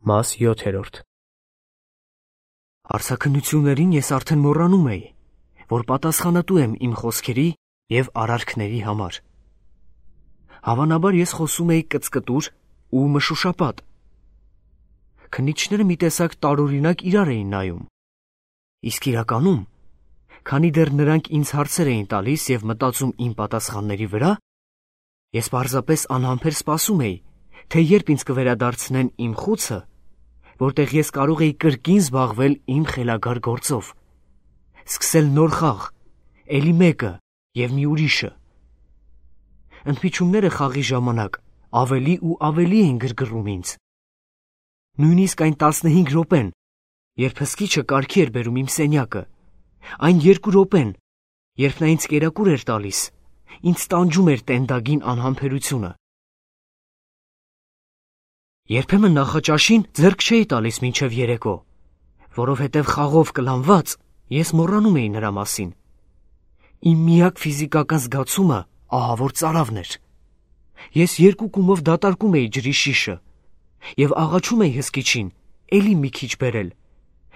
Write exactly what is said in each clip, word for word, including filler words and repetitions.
Մաս յոթերորդ Արձաքնություններին ես արդեն մոռանում էի, որ պատասխանատու եմ իմ խոսքերի և արարքների համար։ Հավանաբար ես խոսում էի կծկտուր ու մշուշապատ։ Քննիչները մի տեսակ տարօրինակ իրար էին նայում։ Իսկ իրականում, քանի դեռ նրանք ինձ հարցեր էին տալիս և մտածում իմ պատասխանների վրա, ես պարզապես անհամբեր սպասում էի, թե երբ ինձ կվերադարձնեն իմ խուցը, որտեղ ես կարող էի կրկին զբաղվել իմ խելագար գործով, սկսել նոր խաղ, էլի մեկը և մի ուրիշը։ Ընդմիջումները խաղի ժամանակ ավելի ու ավելի էին գրգռում ինձ։ Նույնիսկ այն տասնհինգ րոպեն, երբ հսկիչը կարգի էր բերում իմ սենյակը, այն երկու րոպեն, երբ նա ինձ կերակուր էր տալիս, ինձ տանջում էր տենդագին անհամբերությունը։ Երբեմն նախաճաշին ձեռք չէի տալիս մինչև երեկո, որովհետև խաղով կլանված ես մոռանում էի նրա մասին։ Իմ միակ ֆիզիկական զգացումը ահավոր ծարավն էր։ Ես երկու կումով դատարկում էի ջրի շիշը և աղաչում էի հսկիչին էլի մի քիչ բերել,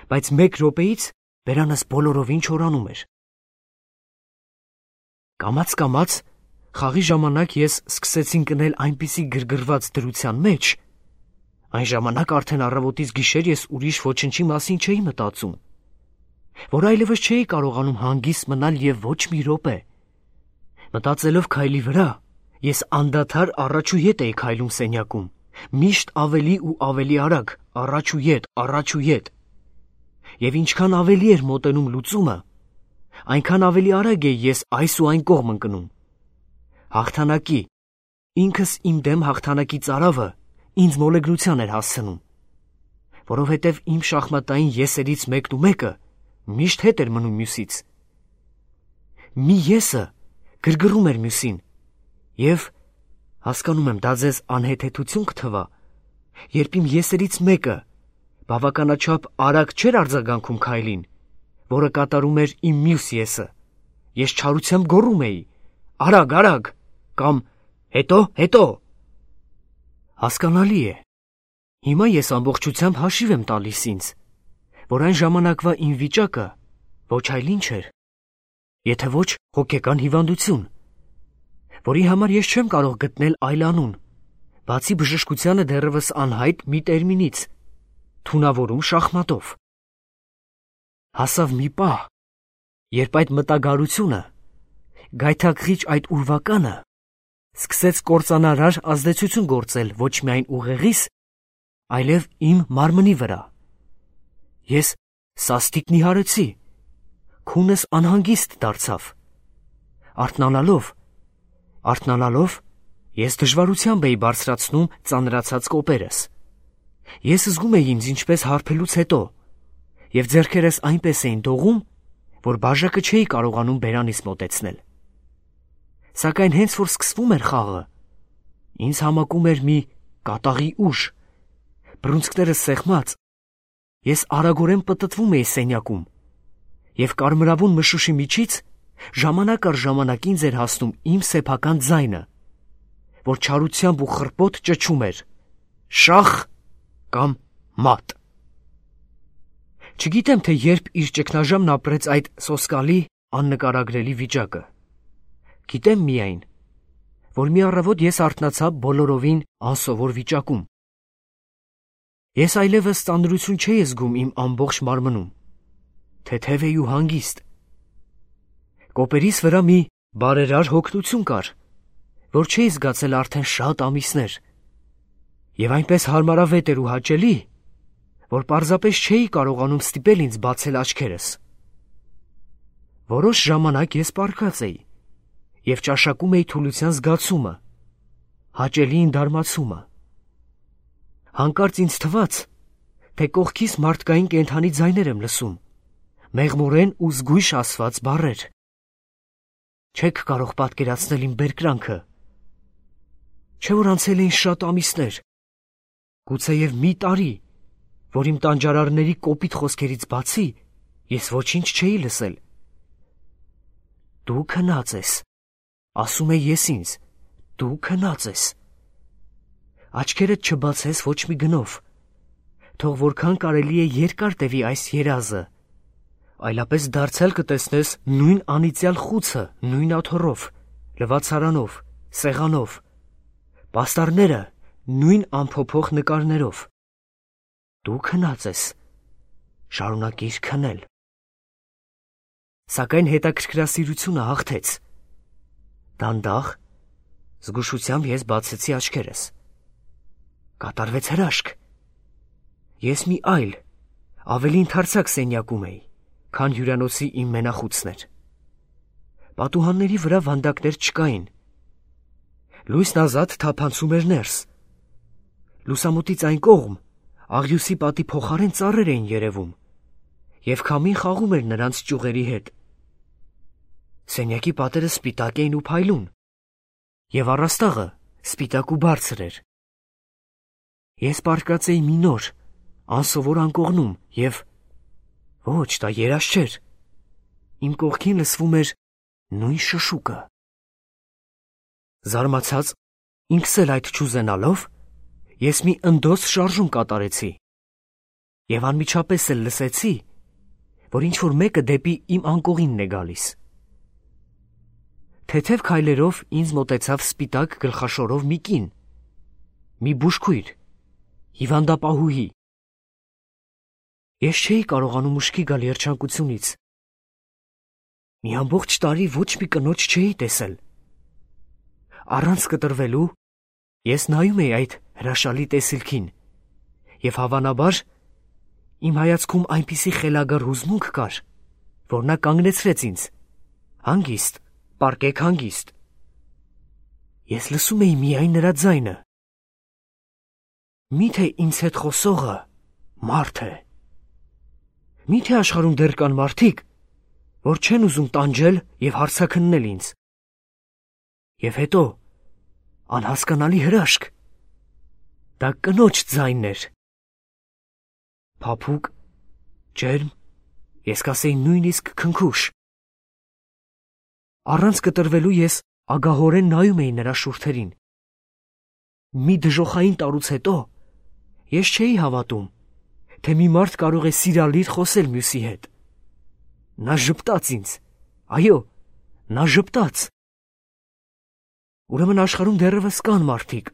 բայց մեկ րոպեից բերանս բոլորովին չորանում էր։ Կամաց-կամաց խաղի ժամանակ ես սկսեցի ընկնել այնպիսի գրգռված դրության մեջ, այն ժամանակ արդեն առավոտից գիշեր ես ուրիշ ոչնչի մասին չէի մտածում, որ այլևս չէի կարողանում հանգիստ մնալ և ոչ մի րոպե։ Մտածելով քայլի վրա, ես անդադար առաջ ու ետ էի քայլում սենյակում, միշտ ավելի ու ավելի արագ, առաջ ու ետ, առաջ ու ետ։ Եվ ինչքան ավելի էր մոտենում լուծումը, այնքան ավելի արագ էի ես այս ու այն կողմ ընկնում։ Հաղթանակի, ինքս իմ դեմ հաղթանակի ծարավը ինձ մոլեգնության էր հասցնում, որովհետև իմ շախմատային եսերից մեկն ու մեկը միշտ հետ էր մնում մյուսից։ Մի եսը գրգռում էր մյուսին, և, հասկանում եմ, դա ձեզ անհեթեթություն կթվա, երբ իմ եսերից մեկը բավականաչափ արագ չէր արձագանքում քայլին, որը կատարում էր իմ մյուս եսը, ես չարությամբ գոռում էի. «Արագ, արագ» կամ «Հետո, հետո»։ Հասկանալի է, հիմա ես ամբողջությամբ հաշիվ եմ տալիս ինձ, որ այն ժամանակվա իմ վիճակը ոչ այլ ինչ էր, եթե ոչ հոգեկան հիվանդություն, որի համար ես չեմ կարող գտնել այլ անուն, բացի բժշկությանը դեռևս անհայտ մի տերմինից՝ թունավորում շախմատով։ Հասավ մի պահ, երբ այդ մտագարությունը, գայթակղիչ այդ ուրվականը սկսեց կործանարար ազդեցություն գործել ոչ միայն ուղեղիս, այլև իմ մարմնի վրա։ Ես սաստիկ նիհարեցի, քունս անհանգիստ դարձավ։ Արթնանալով, արթնանալով, ես դժվարությամբ էի բարձրացնում ծանրացած կոպերս։ Ես զգում էի ինձ ինչպես հարբելուց հետո, և ձեռքերս այնպես էին դողում, որ բաժակը չէի կարողանում բերանիս մոտեցնել։ Սակայն հենց որ սկսվում էր խաղը, ինձ համակում էր մի կատաղի ուժ, բռունցքներս սեղմած, ես արագորեն պտտվում էի սենյակում, և կարմրավուն մշուշի միջից ժամանակ առ ժամանակ ինձ էր հասնում իմ սեփական ձայնը, որ չարությամբ ու խռպոտ ճչում էր. «Շախ» կամ «Մատ»։ Չգիտեմ, թե երբ իր ճգնաժամն ապրեց այդ սոսկալի, աննկարագրելի վիճակը։ Գիտեմ միայն, որ մի առավոտ ես արթնացա բոլորովին անսովոր վիճակում։ Ես այլևս ծանրություն չէի զգում իմ ամբողջ մարմնում, թեթև էի ու հանգիստ։ Կոպերիս վրա մի բարերար հոգնություն կար, որ չէի զգացել արդեն շատ ամիսներ, և այնպես հարմարավետ էր ու հաճելի, որ պարզապես չէի կարողանում ստիպել ինձ բացել աչքերս։ Որոշ ժամանակ ես պառկած էի և ճաշակում էի թուլության զգացումը, հաճելի ընդարմացումը։ Հանկարծ ինձ թվաց, թե կողքիս մարդկային կենդանի ձայներ եմ լսում, մեղմորեն ու զգույշ ասված բառեր։ Չեք կարող պատկերացնել իմ բերկրանքը։ Չէ՞ որ անցել էին շատ ամիսներ, գուցեև մի տարի, որ իմ տանջարարների կոպիտ խոսքերից բացի ես ոչինչ չէի լսել։ «Դու քնած ես», ասում էի ես ինձ, «դու քնած ես»։ Աչքերդ չբացես ոչ մի գնով, թող որքան կարելի է երկար տևի այս երազը, այլապես դարձյալ կտեսնես նույն անիծյալ խուցը, նույն աթոռով, լվացարանով, սեղանով, պաստառները նույն անփոփոխ նկարներով։ Դու քնած ես, շարունակիր քնել։ Սակայն հետաքրքրասիրությունը հաղթեց։ Դանդաղ, զգուշությամբ ես բացեցի աչքերս։ Կատարվեց հրաշք։ Ես մի այլ, ավելի ընդարձակ սենյակում էի, քան հյուրանոցի իմ մենախուցն էր։ Պատուհանների վրա վանդակներ չկային։ Լույսն ազատ թափանցում էր ներս։ Լուսամուտից այն կողմ աղյուսի պատի փոխարեն ծառեր էին երևում, և քամին խաղում էր նրանց ճյուղերի հետ։ Սենյակի պատերը սպիտակ էին ու փայլուն, և առաստաղը սպիտակ ու բարձր էր։ Ես պառկած էի մի նոր, անսովոր անկողնում և, ոչ, դա երազ չէր, իմ կողքին լսվում էր նույն շշուկը։ Զարմացած, ինքս էլ այդ չուզենալով, ես մի ընդոս շարժում կատարեցի և անմիջապես էլ լսեցի, որ ինչ-որ մեկը դեպի իմ անկողինն է գալիս։ Թեթև քայլերով ինձ մոտեցավ սպիտակ գլխաշորով մի կին, մի բուժքույր, հիվանդապահուհի։ Ես չէի կարողանում ուշքի գալ երջանկությունից։ Մի ամբողջ տարի ոչ մի կնոջ չէի տեսել։ Առանց կտրվելու ես նայում էի այդ հրաշալի տեսիլքին, և հավանաբար իմ հայացքում այնպիսի խելագար հուզմունք կար, որ նա կանգնեցրեց ինձ, հանգիստ, պառկեք հանգիստ։ Ես լսում էի միայն նրա ձայնը։ Միթե ինձ հետ խոսողը մարդ է։ Միթե աշխարհում դեռ կան մարդիկ, որ չեն ուզում տանջել և հարցաքննել ինձ։ Եվ հետո, անհասկանալի հրաշք, դա կնոջ ձայնն էր։ Փափուկ, ջերմ, ես կասեի նույնիսկ քնքուշ։ Առանց կտրվելու ես ագահորեն նայում էի նրա շուրթերին։ Մի դժոխային տարուց հետո ես չէի հավատում, թե մի մարդ կարող է սիրալիր խոսել մյուսի հետ։ Նա ժպտաց ինձ, այո, նա ժպտաց։ Ուրեմն աշխարհում դեռևս կան մարդիկ,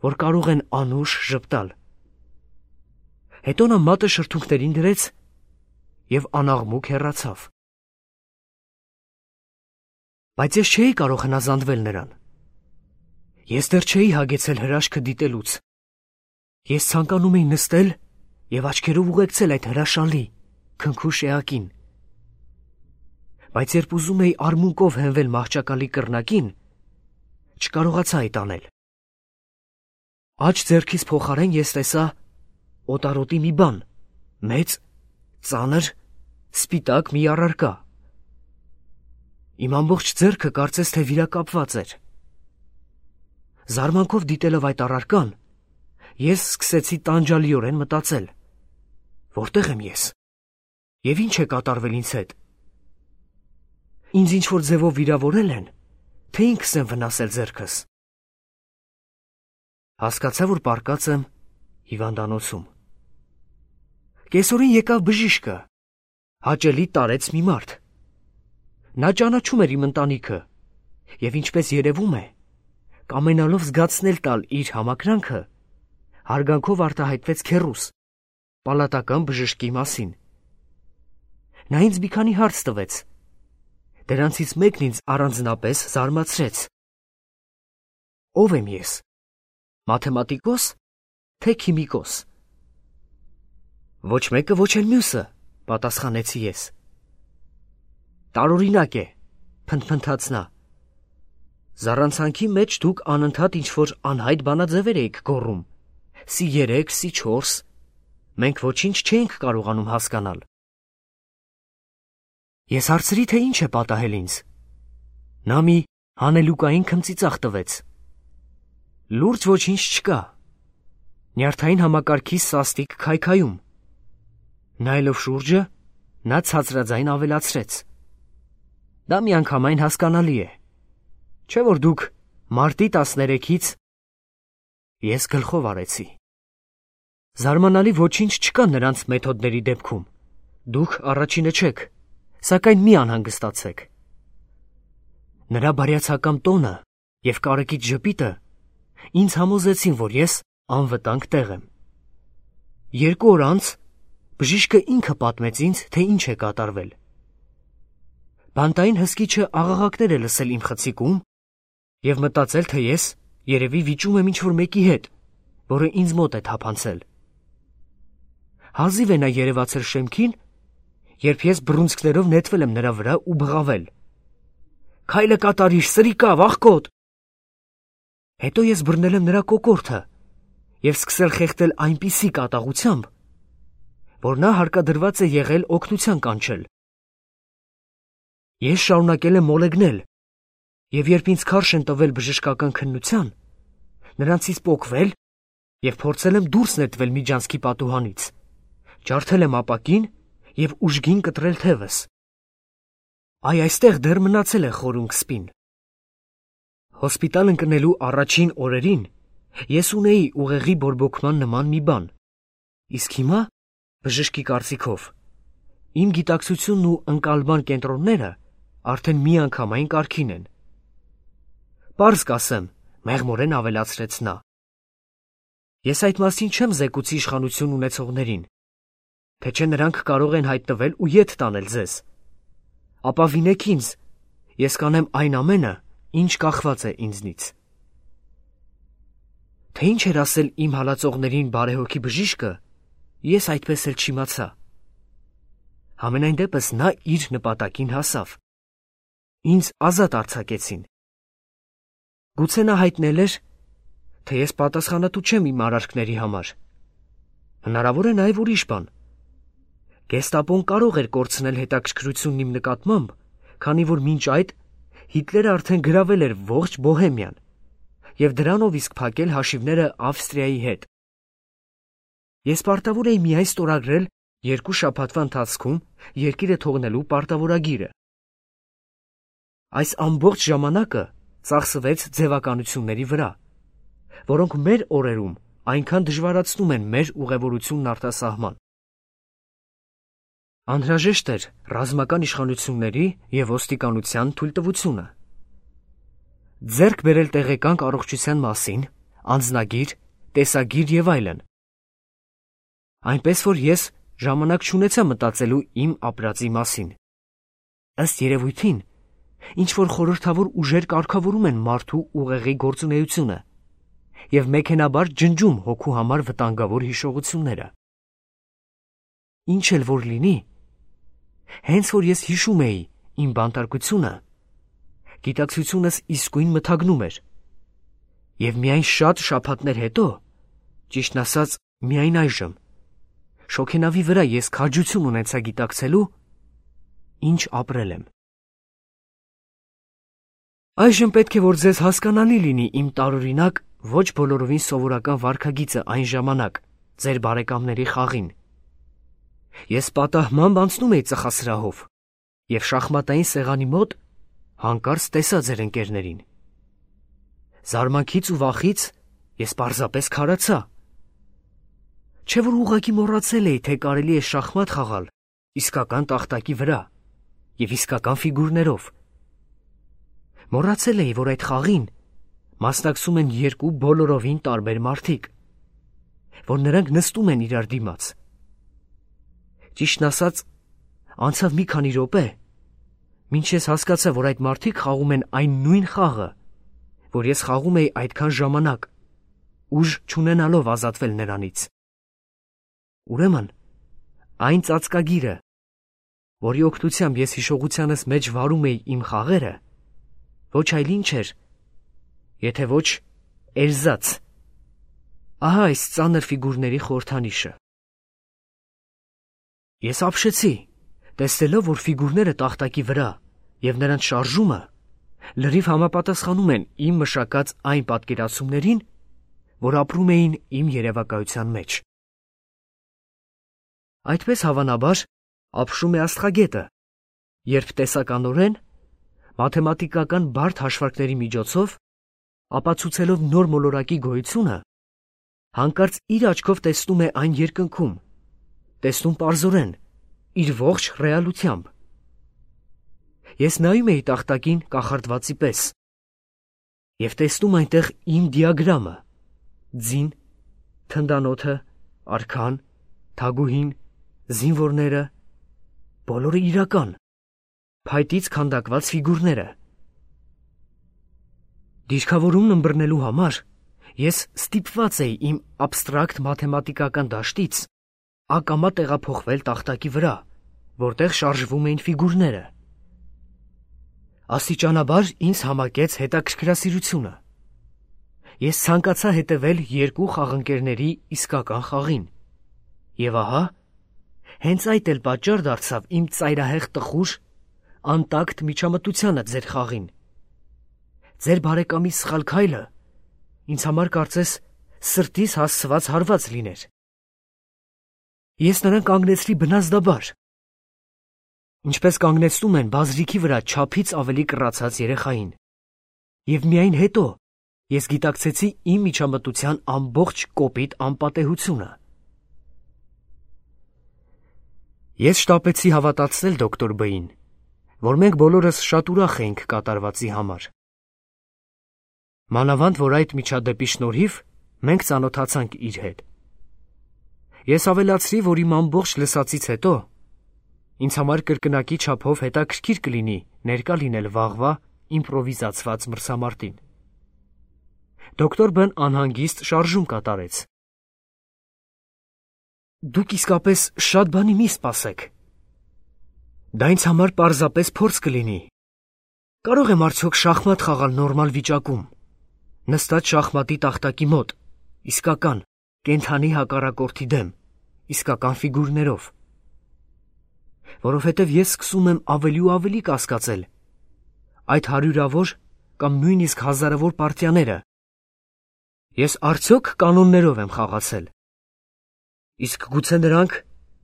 որ կարող են անուշ ժպտալ։ Հետո նա մատը շրթունքներին դրեց և անաղմուկ հեռացավ։ Բայց ես չէի կարող հնազանդվել նրան։ Ես դեռ չէի հագեցել հրաշքը դիտելուց։ Ես ցանկանում էի նստել և աչքերով ուղեկցել այդ հրաշալի, քնքուշ էակին։ Բայց երբ ուզում էի արմունկով հենվել մահճակալի կռնակին, չկարողացա այդ անել։ Աջ ձեռքիս փոխարեն ես տեսա օտարոտի մի բան, մեծ, ծանր, սպիտակ մի առարկա։ Իմ ամբողջ ձեռքը կարծես թե վիրակապված էր։ Զարմանքով դիտելով այդ առարկան, ես սկսեցի տանջալիորեն մտածել. որտե՞ղ եմ ես, և ինչ է կատարվել ինձ հետ։ Ինձ ինչ-որ ձևով վիրավորել են, թե ինքս եմ վնասել ձեռքս։ Հասկացա, որ պառկած եմ հիվանդանոցում։ Կեսօրին եկավ բժիշկը, հաճելի տարեց մի մարդ։ Նա ճանաչում էր իմ ընտանիքը, և ինչպես երևում է, կամենալով զգացնել տալ իր համակրանքը, հարգանքով արտահայտվեց քեռուս, պալատական բժշկի մասին։ Նա ինձ մի քանի հարց տվեց։ Դրանցից մեկն ինձ առանձնապես զարմացրեց։ Ո՞վ եմ ես, մաթեմատիկոս, թե քիմիկոս։ Ոչ մեկը, ոչ էլ մյուսը, պատասխանեցի ես։ Տարօրինակ է, փնթփնթաց նա։ Զառանցանքի մեջ դուք անընդհատ ինչ-որ անհայտ բանաձևեր էիք գոռում, սի երեք, սի չորս, մենք ոչինչ չէինք կարողանում հասկանալ։ Ես հարցրի, թե ինչ է պատահել ինձ։ Նա մի հանելուկային քմծիծաղ տվեց։ Լուրջ ոչինչ չկա։ Նյարդային համակարգի սաստիկ քայքայում։ Նայելով շուրջը, նա ցածրաձայն ավելացրեց. Դա միանգամայն հասկանալի է, չէ՞ որ դուք մարտի տասներեքից… Ես գլխով արեցի։ Զարմանալի ոչինչ չկա նրանց մեթոդների դեպքում։ Դուք առաջինը չեք, սակայն մի անհանգստացեք։ Նրա բարյացակամ տոնը և կարեկից ժպիտը ինձ համոզեցին, որ ես անվտանգ տեղ եմ։ Երկու օր անց բժիշկը ինքը պատմեց ինձ, թե ինչ է կատարվել։ Բանտային հսկիչը աղաղակներ է լսել իմ խցիկում և մտածել, թե ես երևի վիճում եմ ինչ-որ մեկի հետ, որը ինձ մոտ է թափանցել։ Հազիվ է նա երևացել շեմքին, երբ ես բռունցքներով նետվել եմ նրա վրա ու բղավել. «Քայլը կատարիր, սրիկա, վախկոտ»։ Հետո ես բռնել եմ նրա կոկորդը և սկսել խեղդել այնպիսի կատաղությամբ, որ նա հարկադրված է եղել օգնության կանչել։ Ես շարունակել եմ մոլեգնել, և երբ ինձ քարշ են տվել բժշկական քննության, նրանցից պոկվել և փորձել եմ դուրս նետվել միջանցքի պատուհանից, ջարդել եմ ապակին և ուժգին կտրել թևս։ Այ այստեղ դեռ մնացել է խորունկ սպին։ Հոսպիտալ ընկնելու առաջին օրերին ես ունեի ուղեղի բորբոքման նման մի բան, իսկ հիմա, բժշկի կարծիքով, իմ գիտակցությունն ու ընկալման կենտրոնները արդեն միանգամայն կարգին են։ Պարզ կասեմ, մեղմորեն ավելացրեց նա։ Ես այդ մասին չեմ զեկուցի իշխանություն ունեցողներին, թե չէ նրանք կարող են հայտնվել ու ետ տանել ձեզ։ Ապավինեք ինձ, ես կանեմ այն ամենը, ինչ կախված է ինձնից։ Թե ինչ էր ասել իմ հալածողներին բարեհոգի բժիշկը, ես այդպես էլ չիմացա։ Համենայն դեպս նա իր նպատակին հասավ։ Ինձ ազատ արձակեցին։ Գուցե նա հայտնել էր, թե ես պատասխանատու չեմ իմ արարքների համար։ Հնարավոր է նաև ուրիշ բան։ Գեստապոն կարող էր կորցնել հետաքրքրությունն իմ նկատմամբ, քանի որ մինչ այդ Հիտլերը արդեն գրավել էր ողջ Բոհեմիան և դրանով իսկ փակել հաշիվները Ավստրիայի հետ։ Ես պարտավոր էի միայն ստորագրել երկու շաբաթվա ընթացքում երկիրը թողնելու պարտավորագիրը։ Այս ամբողջ ժամանակը ծախսվեց ձևականությունների վրա, որոնք մեր օրերում այնքան դժվարացնում են մեր ուղևորությունն արտասահման։ Անհրաժեշտ էր ռազմական իշխանությունների և ոստիկանության թույլտվությունը։ Ձեռք բերել տեղեկանք առողջության մասին, անձնագիր, տեսագիր և այլն։ Այնպես որ ես ժամանակ չունեցա մտածելու իմ ապրածի մասին։ Ըստ երևույթին, ինչ-որ խորհրդավոր ուժեր կարգավորում են մարդու ուղեղի գործունեությունը և մեքենաբար ջնջում հոգու համար վտանգավոր հիշողությունները։ Ինչ էլ որ լինի, հենց որ ես հիշում էի իմ բանտարկությունը, գիտակցությունս իսկույն մթագնում էր, և միայն շատ շաբաթներ հետո, ճիշտն ասած միայն այժմ, շոգենավի վրա ես քաջություն ունեցա գիտակցելու, ինչ ապրել եմ։ Այժմ պետք է որ ձեզ հասկանալի լինի իմ տարօրինակ, ոչ բոլորովին սովորական վարքագիծը այն ժամանակ, ձեր բարեկամների խաղին։ Ես պատահմամբ անցնում էի ծխասրահով և շախմատային սեղանի մոտ հանկարծ տեսա ձեր ընկերներին։ Զարմանքից ու վախից ես պարզապես քարացա։ Չէ որ ուղղակի մոռացել էի, թե կարելի է շախմատ խաղալ իսկական տախտակի վրա և իսկական ֆիգուրներով։ Մոռացել էի, որ այդ խաղին մասնակցում են երկու բոլորովին տարբեր մարդիկ, որ նրանք նստում են իրար դիմաց։ Ճիշտն ասած, անցավ մի քանի րոպե, մինչ ես հասկացա, որ այդ մարդիկ խաղում են այն նույն խաղը, որ ես խաղում էի այդքան ժամանակ, ուժ չունենալով ազատվել նրանից։ Ուրեմն, այն ծածկագիրը, որի օգնությամբ ես հիշողությանս մեջ վարում էի իմ խաղերը, ոչ այլ ինչ էր, եթե ոչ էրզաց։ Ահա այս ծանր ֆիգուրների խորհրդանիշը։ Ես ապշեցի, տեսնելով, որ ֆիգուրները տախտակի վրա և նրանց շարժումը լրիվ համապատասխանում են իմ մշակած այն պատկերացումներին, որ ապրում էին իմ երևակայության մեջ։ Այդպես հավանաբար ապշում է աստղագետը, երբ տեսականորեն, մաթեմատիկական բարդ հաշվարկների միջոցով, ապացուցելով նոր մոլորակի գոյությունը, Հանկարծ իր աչքով տեսնում է այն երկնքում, տեսնում պարզորեն, իր ողջ ռեալությամբ։ Ես նայում էի տախտակին կախարդվածի պես և տեսնում այնտեղ իմ դիագրամը, ձին, թնդանոթը, արքան, թագուհին, զինվորները, բոլորը իրական, փայտից քանդակված ֆիգուրները։ Դիրքավորումն ըմբռնելու համար ես ստիպված էի իմ աբստրակտ մաթեմատիկական դաշտից ակամա տեղափոխվել տախտակի վրա, որտեղ շարժվում էին ֆիգուրները։ Աստիճանաբար ինձ համակեց հետաքրքրասիրությունը։ Ես ցանկացա հետևել երկու խաղընկերների իսկական խաղին։ Եվ ահա, հենց այդ էլ պատճառ դարձավ իմ ծայրահեղ տխուր, անտակտ միջամտությանը ձեր խաղին։ Ձեր բարեկամի սխալ քայլը ինձ համար կարծես սրտիս հասցված հարված լիներ։ Ես նրան կանգնեցրի բնազդաբար, ինչպես կանգնեցնում են բազրիքի վրա չափից ավելի կռացած երեխային, և միայն հետո ես գիտակցեցի իմ միջամտության ամբողջ կոպիտ անպատեհությունը։ Ես շտապեցի հավատացնել դոկտոր Բ-ին, որ մենք բոլորս շատ ուրախ էինք կատարվածի համար։ Մանավանդ, որ այդ միջադեպի շնորհիվ մենք ծանոթացանք իր հետ։ Ես ավելացրի, որ իմ ամբողջ լսածից հետո ինձ համար կրկնակի չափով հետաքրքիր կլինի ներկա լինել վաղվա իմպրովիզացված մրցամարտին։ Դոկտոր Բ-ն անհանգիստ շարժում կատարեց։ Դուք իսկապես շատ բանի մի սպասեք։ Դա ինձ համար պարզապես փորձ կլինի։ Կարող եմ արդյոք շախմատ խաղալ նորմալ վիճակում, նստած շախմատի տախտակի մոտ, իսկական, կենդանի հակառակորդի դեմ, իսկական ֆիգուրներով։ Որովհետև ես սկսում եմ ավելի ու ավելի կասկածել այդ հարյուրավոր կամ նույնիսկ հազարավոր պարտիաները։ Ես արդյոք կանոններով եմ խաղացել։ Իսկ գուցե նրանք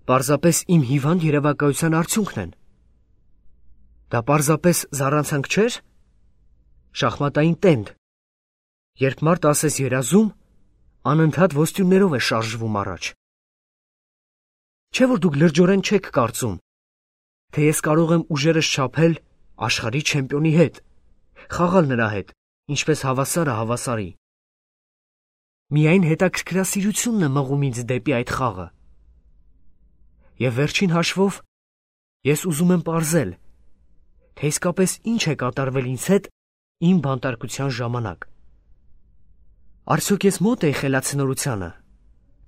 պարզապես իմ հիվանդ երևակայության արդյունքն են։ Դա պարզապես զառանցանք չէր։ Շախմատային տենդ, երբ մարդ ասես երազում, անընդհատ ոստյուններով է շարժվում առաջ։ Չէ՞ որ դուք լրջորեն չեք կարծում, թե ես կարող եմ ուժերս չափել աշխարհի չեմպիոնի հետ, խաղալ նրա հետ, ինչպես հավասարը հավասարի։ Միայն հետաքրքրասիրությունն է մղում ինձ դեպի այդ խաղը։ Եվ վերջին հաշվով ես ուզում եմ պարզել, թե իսկապես ինչ է կատարվել ինձ հետ իմ բանտարկության ժամանակ։ Արդյոք ես մոտ էի խելացնորությանը,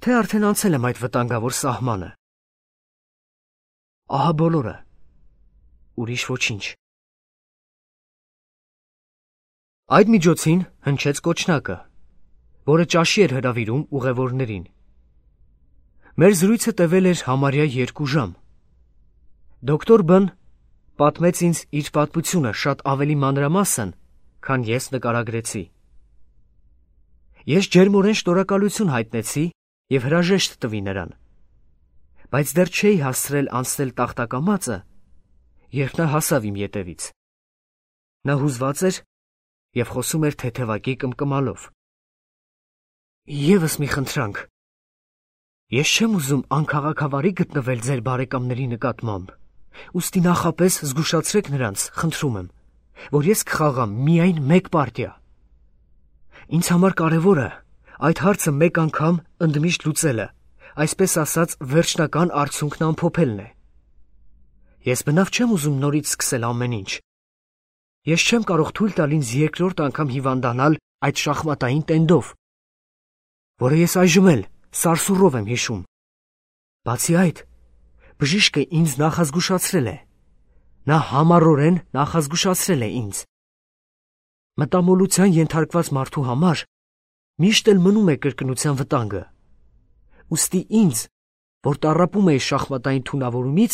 թե արդեն անցել եմ այդ վտանգավոր սահմանը։ Ահա բոլորը, ուրիշ ոչինչ։ Այդ միջոցին հնչեց կոչնակը, որը ճաշի էր հրավիրում ուղևորներին։ Մեր զրույցը տևել էր համարյա երկու ժամ։ Դոկտոր Բ-ն պատմեց ինձ իր պատմությունը շատ ավելի մանրամասն, քան ես նկարագրեցի։ Ես ջերմորեն շնորհակալություն հայտնեցի և հրաժեշտ տվի նրան, բայց դեռ չէի հասցրել անցնել տախտակամածը, երբ նա հասավ իմ ետևից։ Նա հուզված էր և խոսում էր թեթևակի կմկմալով։ Եվս մի խնդրանք. ես չեմ ուզում անքաղաքավարի գտնվել ձեր բարեկամների նկատմամբ, ուստի նախապես զգուշացրեք նրանց, խնդրում եմ, որ ես կխաղամ միայն մեկ պարտիա։ Ինձ համար կարևորը այդ հարցը մեկ անգամ ընդմիշտ լուծելը, այսպես ասած վերջնական արդյունքն ամփոփելն է։ Ես բնավ չեմ ուզում նորից սկսել ամեն ինչ։ Ես չեմ կարող թույլ տալ ինձ երկրորդ անգամ հիվանդանալ այդ շախմատային տենդով, որը ես այժմ էլ սարսուռով եմ հիշում։ Բացի այդ, բժիշկը ինձ նախազգուշացրել է։ Նա համառորեն նախազգուշացրել է ինձ։ Մտամոլության ենթարկված մարդու համար միշտ էլ մնում է կրկնության վտանգը։ Ուստի ինձ, որ տառապում էի շախմատային թունավորումից,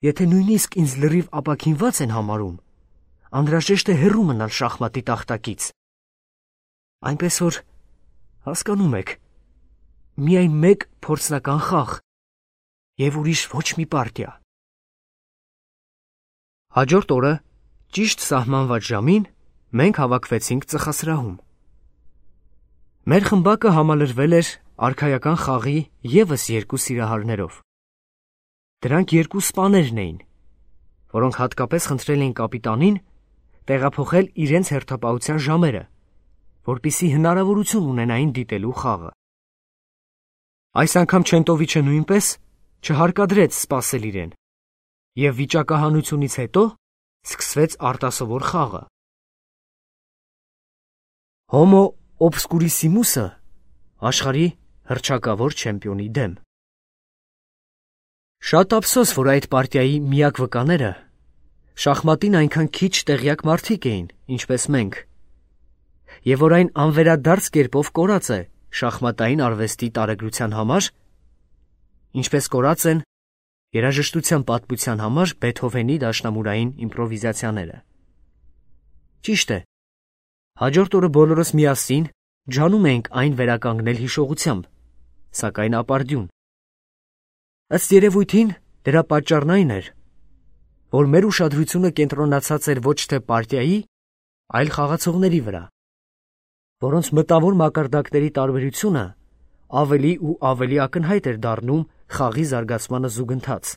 եթե նույնիսկ ինձ լրիվ ապաքինված են համարում, անհրաժեշտ է հեռու մնալ շախմատի տախտակից։ Այնպես որ, հասկանում եք, միայն մեկ փորձնական խաղ և ուրիշ ոչ մի պարտիա։ Հաջորդ օրը, ճիշտ սահմանված ժամին, մենք հավաքվեցինք ծխասրահում։ Մեր խմբակը համալրվել էր արքայական խաղի ևս երկու սիրահարներով։ Դրանք երկու սպաներն էին, որոնք հատկապես խնդրել էին կապիտանին տեղափոխել իրենց հերթապահության ժամերը, որպեսզի հնարավորություն ունենային դիտելու խաղը։ Այս անգամ Չենտովիչը նույնպես չհարկադրեց սպասել իրեն, եւ վիճակահանությունից հետո սկսվեց արտասովոր խաղը։ Հոմո օբսկուրիսիմուսը աշխարհի հռչակավոր չեմպիոնի դեմ։ Շատ ափսոս, որ այդ պարտիայի միակ վկաները շախմատին այնքան քիչ տեղյակ մարդիկ էին, ինչպես մենք, եւ որ այն անվերադարձ կերպով կորած է շախմատային արվեստի տարեգրության համար, ինչպես կորած են երաժշտության պատմության համար Բեթհովենի դաշնամուրային իմպրովիզացիաները։ Ճիշտ է, հաջորդ օրը բոլորս միասին ջանում էինք այն վերականգնել հիշողությամբ, սակայն ապարդյուն։ Ըստ երևույթին դրա պատճառն այն էր, որ մեր ուշադրությունը կենտրոնացած էր ոչ թե պարտիայի, այլ խաղացողների վրա, որոնց մտավոր մակարդակների տարբերությունը ավելի ու ավելի ակնհայտ էր դառնում խաղի զարգացմանը զուգընթաց։